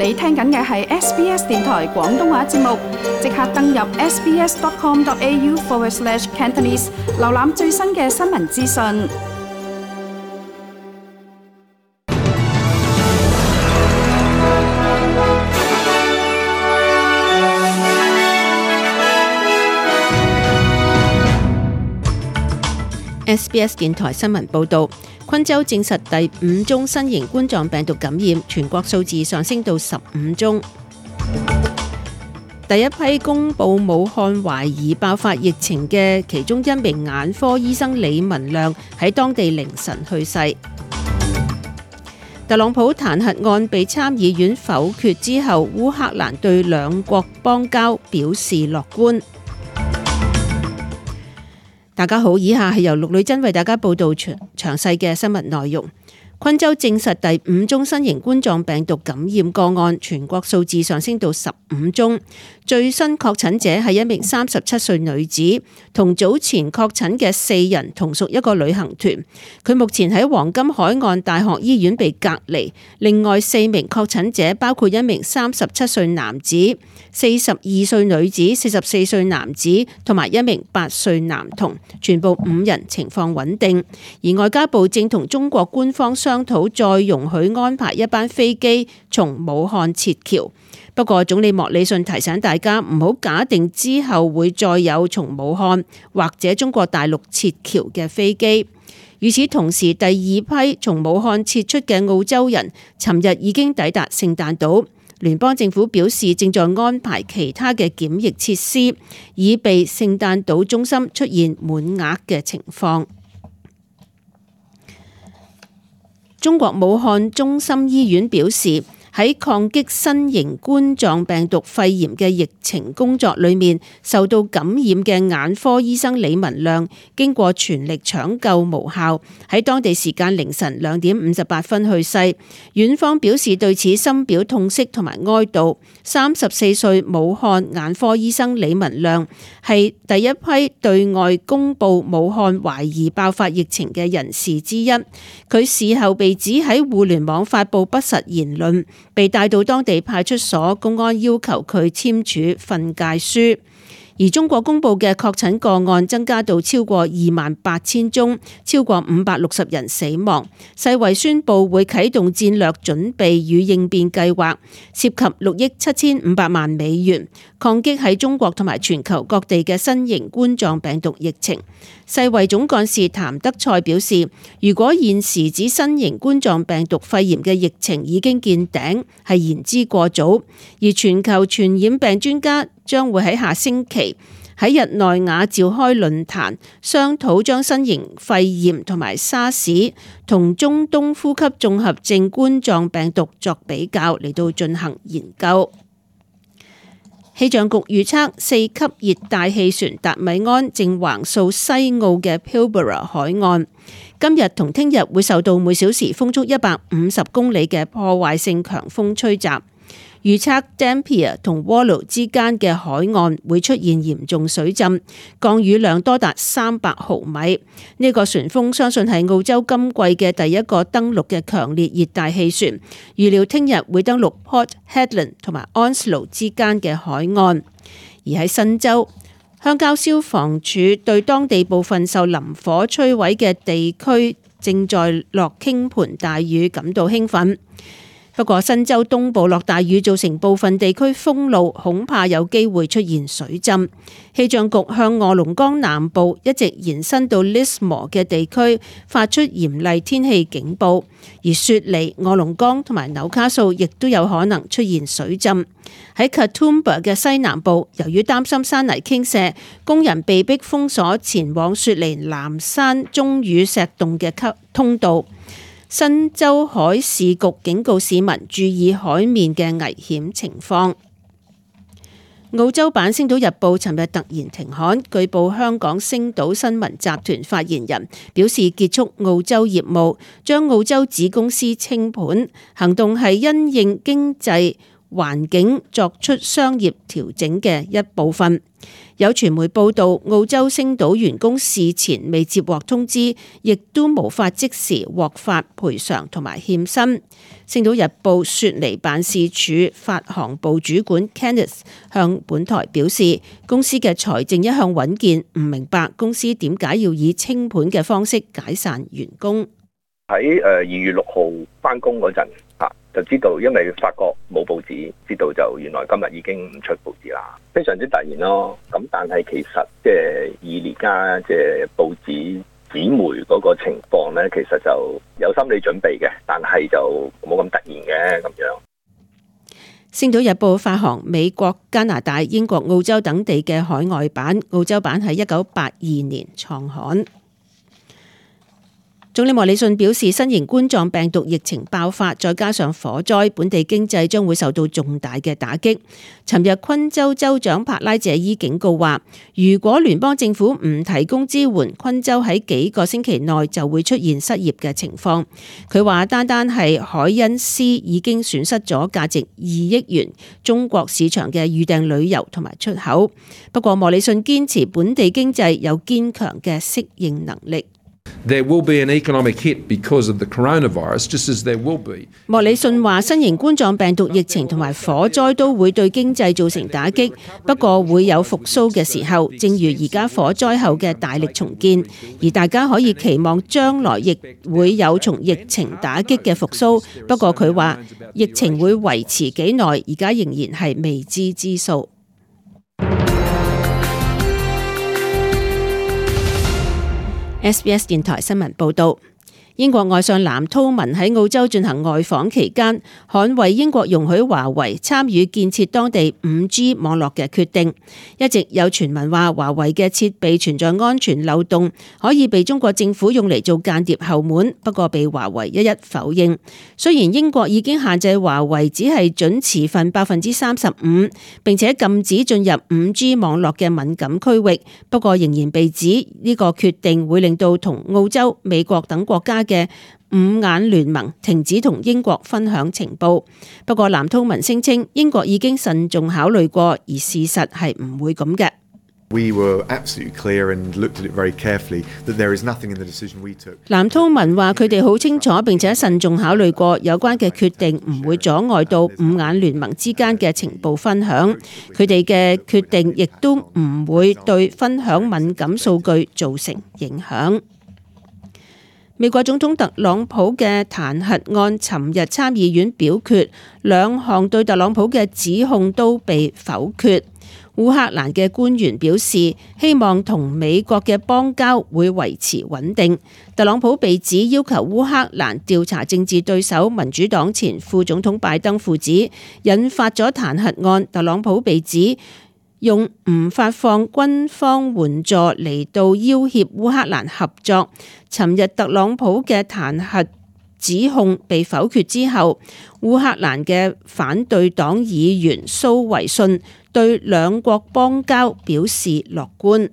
你聽緊嘅係 SBS 電台廣東話節目，即刻登入 sbs.com.au/Cantonese 瀏覽最新嘅新聞資訊。SBS 電台新聞報導，昆州證實第5宗新型冠狀病毒感染，全國數字上升到15宗。第一批公佈武漢懷疑爆發疫情嘅其中一名眼科醫生李文亮喺當地凌晨去世。特朗普彈劾案被參議院否決之後，烏克蘭對兩國邦交表示樂觀。大家好，以下係由陸女真為大家報道詳細嘅新聞內容。昆州證實第5宗新型冠狀病毒感染個案，全國數字上升到15宗。最新確診者係一名37歲女子，同早前確診嘅4人同屬一個旅行團。佢目前喺黃金海岸大學醫院被隔離。另外4名確診者包括一名37歲男子、42歲女子、44歲男子同埋一名8歲男童，全部5人情況穩定。而外交部正同中國官方商討再容許安排一班飛機從武漢撤僑。不過總理莫里遜提醒大家唔好假定之後會再有從武漢或者中國大陸撤僑嘅飛機。與此同時，第2批從武漢撤出嘅澳洲人尋日已經抵達聖誕島。聯邦政府表示正在安排其他嘅檢疫設施，以避聖誕島中心出現滿額嘅情況。中國武漢中心醫院表示，喺抗擊新型冠狀病毒肺炎嘅疫情工作裏面，受到感染嘅眼科醫生李文亮經過全力搶救無效，喺當地時間凌晨2點58分去世。院方表示對此深表痛惜同埋哀悼。34歲武漢眼科醫生李文亮係第一批對外公布武漢懷疑爆發疫情嘅人士之一。佢事後被指喺互聯網發布不實言論，被帶到當地派出所，公安要求佢簽署訓誡書。而中國公布嘅確診個案增加到超過28,000宗，超過560人死亡。世衛宣布會啟動戰略準備與應變計劃，涉及6億7500萬美元，抗擊喺中國同埋全球各地嘅新型冠狀病毒疫情。世衛總幹事譚德塞表示，如果現時指新型冠狀病毒肺炎嘅疫情已經見頂，係言之過早。而全球傳染病專家將會喺下星期喺日內瓦召開論壇，商討將新型肺炎同埋沙士同中東呼吸綜合症冠狀病毒作比較，嚟到進行研究。氣象局預測4級熱帶氣旋達米安正橫掃西澳嘅 Pilbara 海岸，今日同聽日會受到每小時風速150公里嘅破壞性強風吹襲。預測 Dampier 同 Wallow 之間嘅海岸會出現嚴重水浸，降雨量多達300毫米。呢個旋風相信係澳洲今季嘅第一個登陸嘅強烈熱帶氣旋，預料聽日會登陸 Port Hedland 同埋 Onslow 之間嘅海岸。而喺新州，鄉郊消防處對當地部分受林火摧毀嘅地區正在落傾盆大雨感到興奮。不過新州東部落大雨造成部分地區封路，恐怕有機會出現水浸。氣象局向臥龍崗南部一直延伸到 Lismore 嘅地區發出嚴厲天氣警報，而雪梨、臥龍崗同埋紐卡素亦都有可能出現水浸。喺 Katoomba 嘅西南部，由於擔心山泥傾瀉，工人被迫封鎖前往雪梨南山鐘乳石洞嘅通道。新州海事局警告市民注意海面嘅危險情況。澳洲版《星島日報》尋日突然停刊，據報香港星島新聞集團發言人表示結束澳洲業務，將澳洲子公司清盤，行動係因應經濟環境作出商業調整嘅一部分。有傳媒報道，澳洲星島員工事前未接獲通知，亦都無法即時獲發賠償同埋欠薪。星島日報雪梨辦事處發行部主管 Kenneth 向本台表示，公司嘅財政一向穩健，唔明白公司點解要以清盤嘅方式解散員工。喺2月6號返工嗰陣就知道，因為發覺冇報紙，知道就原來今日已經唔出報紙啦，非常之突然咯。咁但係其實即係以而家即係報紙紙媒嗰個情況咧，其實就有心理準備嘅，但係就冇咁突然嘅咁樣。星島日報發行美國、加拿大、英國、澳洲等地嘅海外版，澳洲版喺1982年創刊。總理莫里遜表示，新型冠狀病毒疫情爆發，再加上火災，本地經濟將會受到重大嘅打擊。尋日昆州州長帕拉謝伊警告話，如果聯邦政府唔提供支援，昆州喺幾個星期內就會出現失業嘅情況。佢話單單係海恩斯已經損失咗價值2億元中國市場嘅預訂旅遊同埋出口。不過莫里遜堅持本地經濟有堅強嘅適應能力。There will be an economic hit because of the coronavirus, just as there will be. 莫里遜話，新型冠狀病毒疫情同埋火災都會對經濟造成打擊，不過會有復甦嘅時候，正如而家火災後嘅大力重建，而大家可以期望將來亦會有從疫情打擊嘅復甦。不過佢話，疫情會維持幾耐，而家仍然係未知之數。SBS 電台新聞報導，英國外相藍韜文喺澳洲進行外訪期間，捍衛英國容許華為參與建設當地 5G 網絡嘅決定。一直有傳聞話華為嘅設備存在安全漏洞，可以被中國政府用嚟做間諜後門，不過被華為一一否認。雖然英國已經限制華為只係準持份35%，並且禁止進入 5G 網絡嘅敏感區域，不過仍然被指呢個決定會令到同澳洲、美國等國家嘅五眼聯盟停止同英國分享情報。不過藍韜文聲稱英國已經慎重考慮過，而事實係唔會咁嘅。We were absolutely clear and looked at it very carefully that there is nothing in the decision we took. 藍韜文話佢哋好清楚並且慎重考慮過有關嘅決定，唔會阻礙到五眼聯盟之間嘅情報分享。佢哋嘅決定亦都唔會對分享敏感數據造成影響。美國總統特朗普嘅彈劾案尋日參議院表決，兩項對特朗普嘅指控都被否決。烏克蘭嘅官員表示，希望同美國嘅邦交會維持穩定。特朗普被指要求烏克蘭調查政治對手民主黨前副總統拜登父子，引發咗彈劾案。特朗普被指用唔發放軍方援助嚟到要挾烏克蘭合作。尋日特朗普嘅彈劾指控被否決之後，烏克蘭嘅反對黨議員蘇維遜對兩國邦交表示樂觀。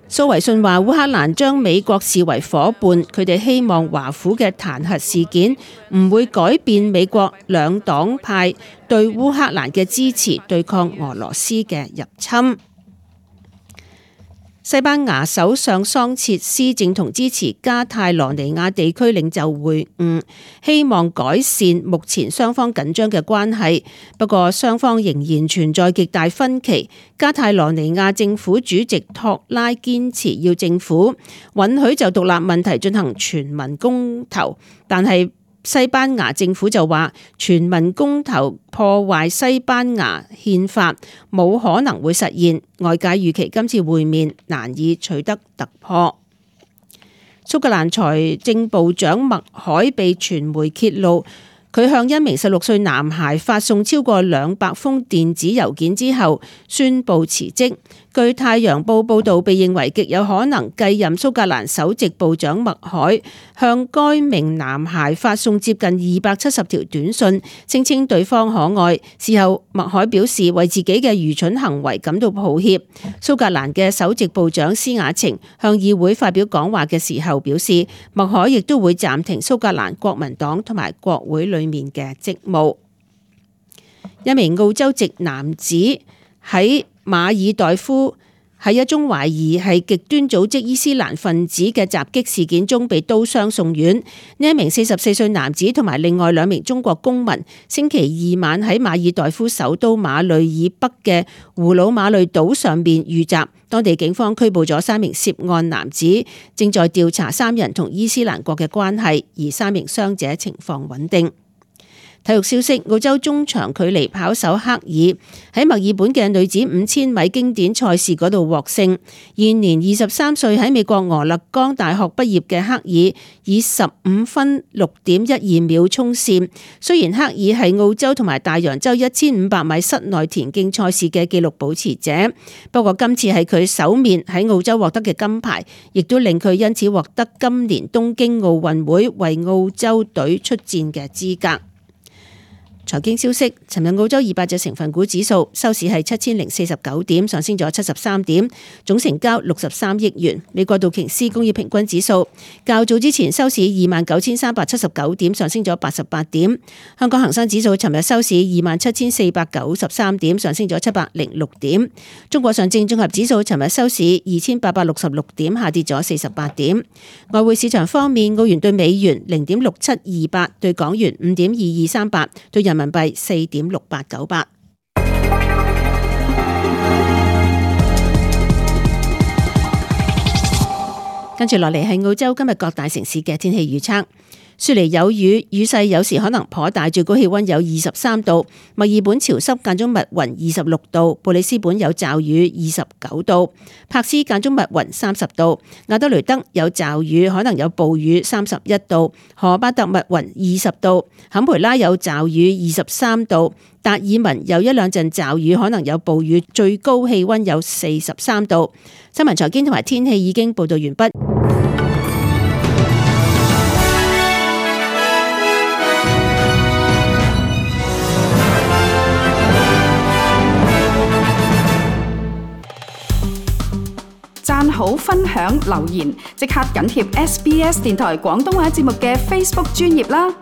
蘇維遜話：烏克蘭將美國視為夥伴，佢哋希望華府嘅彈劾事件唔會改變美國兩黨派對烏克蘭嘅支持，對抗俄羅斯嘅入侵。西班牙首相桑切斯正同支持加泰羅尼亞地區領袖會晤，希望改善目前雙方緊張嘅關係。不過雙方仍然存在極大分歧。加泰羅尼亞政府主席托拉堅持要政府允許就獨立問題進行全民公投，但係西班牙政府就話全民公投破壞西班牙憲法，冇可能會實現。外界預期今次會面難以取得突破。蘇格蘭財政部長麥凱被傳媒揭露，佢向一名16歲男孩發送超過200封電子郵件之後，宣布辭職。據《太陽報》報導，被認為極有可能繼任蘇格蘭首席部長麥凱向該名男孩發送接近270條短信，聲稱對方可愛。事後，麥凱表示為自己嘅愚蠢行為感到抱歉。蘇格蘭嘅首席部長施雅晴向議會發表講話嘅時候表示，麥凱亦都會暫停蘇格蘭國民黨同埋國會裏面嘅職務。一名澳洲籍男子喺馬爾代夫喺一宗懷疑係極端組織伊斯蘭分子嘅襲擊事件中被刀傷送院。呢一名44歲男子同埋另外2名中國公民，星期二晚喺馬爾代夫首都馬累以北嘅胡魯馬累島上面遇襲。當地警方拘捕咗3名涉案男子，正在調查3人同伊斯蘭國嘅關係，而3名傷者情況穩定。體育消息，澳洲中長距離跑手克爾喺墨爾本嘅女子5000米經典賽事嗰度獲勝。現年23歲喺美國俄勒岡大學畢業嘅克爾以15分6.12秒衝線。雖然克爾係澳洲同埋大洋洲1500米室內田徑賽事嘅紀錄保持者，不過今次係佢首面喺澳洲獲得嘅金牌，亦都令佢因此獲得今年東京奧運會為澳洲隊出戰嘅資格。財經消息，尋日澳洲200隻成分股指數收市係7049點，上升咗73點，總成交63億元。美國道瓊斯工業平均指數較早之前收市29,379點，上升咗88點。香港恒生指數尋日收市27,493點，上升咗706點。中國上證綜合指數尋日收市2866點，下跌咗48點。外匯市場方面，澳元對美元0.6728，對港元5.2238，對人民幣4.6898。跟住落嚟係澳洲今日各大城市嘅天氣預測。雪梨有雨，雨勢有時可能頗大，最高氣溫有23度。墨爾本潮濕間中密雲26度。布里斯本有驟雨29度。柏斯間中密雲30度。亞德雷德有驟雨，可能有暴雨31度。荷巴特密雲20度。坎培拉有驟雨23度。達爾文有1兩陣驟雨，可能有暴雨，最高氣溫有43度。新聞財經同埋天氣已經報道完畢。讚好、分享、留言，即刻緊貼SBS 電台廣東話節目嘅 Facebook 專頁啦！